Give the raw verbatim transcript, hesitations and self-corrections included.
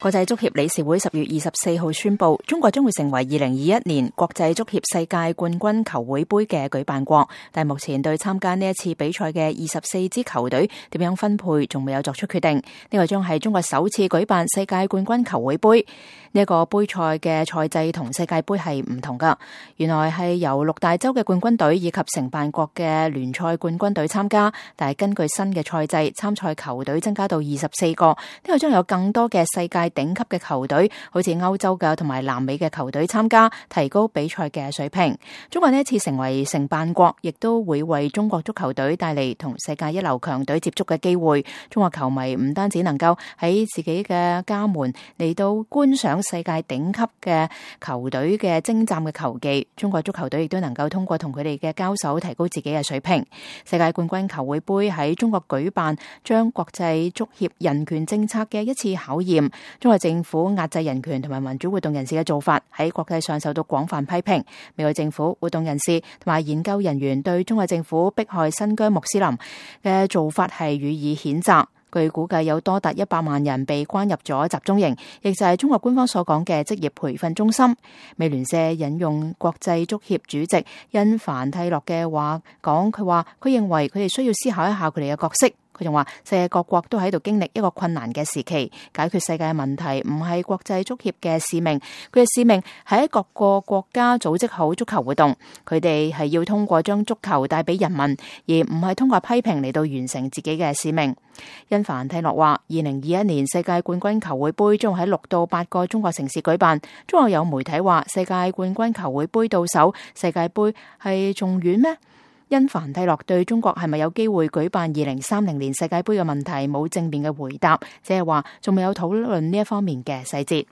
國際足協理事會十月二十四號宣布，中國將會成為二零二一年國際足協世界冠軍球會盃嘅舉辦國，但目前對參加呢一次比賽嘅二十四支球隊點樣分配，仲未有作出決定。呢、這個將係中國首次舉辦世界冠軍球會盃。呢、這、一個盃賽嘅賽制同世界盃係唔同噶，原來係由六大洲嘅冠軍隊以及承辦國嘅聯賽冠軍隊參加，但係根據新嘅賽制，參賽球隊增加到二十四個，呢、這個將有更多嘅世界頂級嘅球隊，好似歐洲嘅同埋南美嘅球隊參加，提高比賽嘅水平。中國呢一次成為承辦國，亦都會為中國足球隊帶嚟同世界一流強隊接觸嘅機會。中國球迷唔單止能夠喺自己嘅家門嚟到觀賞世界頂級嘅球隊嘅精湛嘅球技，中國足球隊亦都能夠通過同佢哋嘅交手，提高自己嘅水平。世界冠軍球會盃喺中國舉辦，將國際足協人權政策嘅一次考驗。中國政府壓制人權同埋民主活動人士嘅做法喺國際上受到廣泛批評。美國政府、活動人士同埋研究人員對中國政府迫害新疆穆斯林嘅做法係予以譴責。據估計有多達一百萬人被關入咗集中營，亦就係中國官方所講嘅職業培訓中心。美聯社引用國際足協主席因凡蒂諾嘅話講，佢話佢認為佢哋需要思考一下佢哋嘅角色。佢仲話世界各國都喺度經歷一個困難嘅時期，解決世界問題唔係國際足協嘅使命，佢嘅使命係喺各個國家組織好足球活動，佢哋係要通過將足球帶俾人民，而唔係通過批評嚟到完成自己嘅使命。因凡蒂諾話，二零二一年世界冠軍球會盃將喺六到八個中國城市舉辦。中國有媒體話，世界冠軍球會盃到手，世界盃係仲遠咩？因凡蒂諾對中國係咪有機會舉辦二零三零年世界盃嘅問題冇正面嘅回答，只係話仲未有討論呢一方面嘅細節。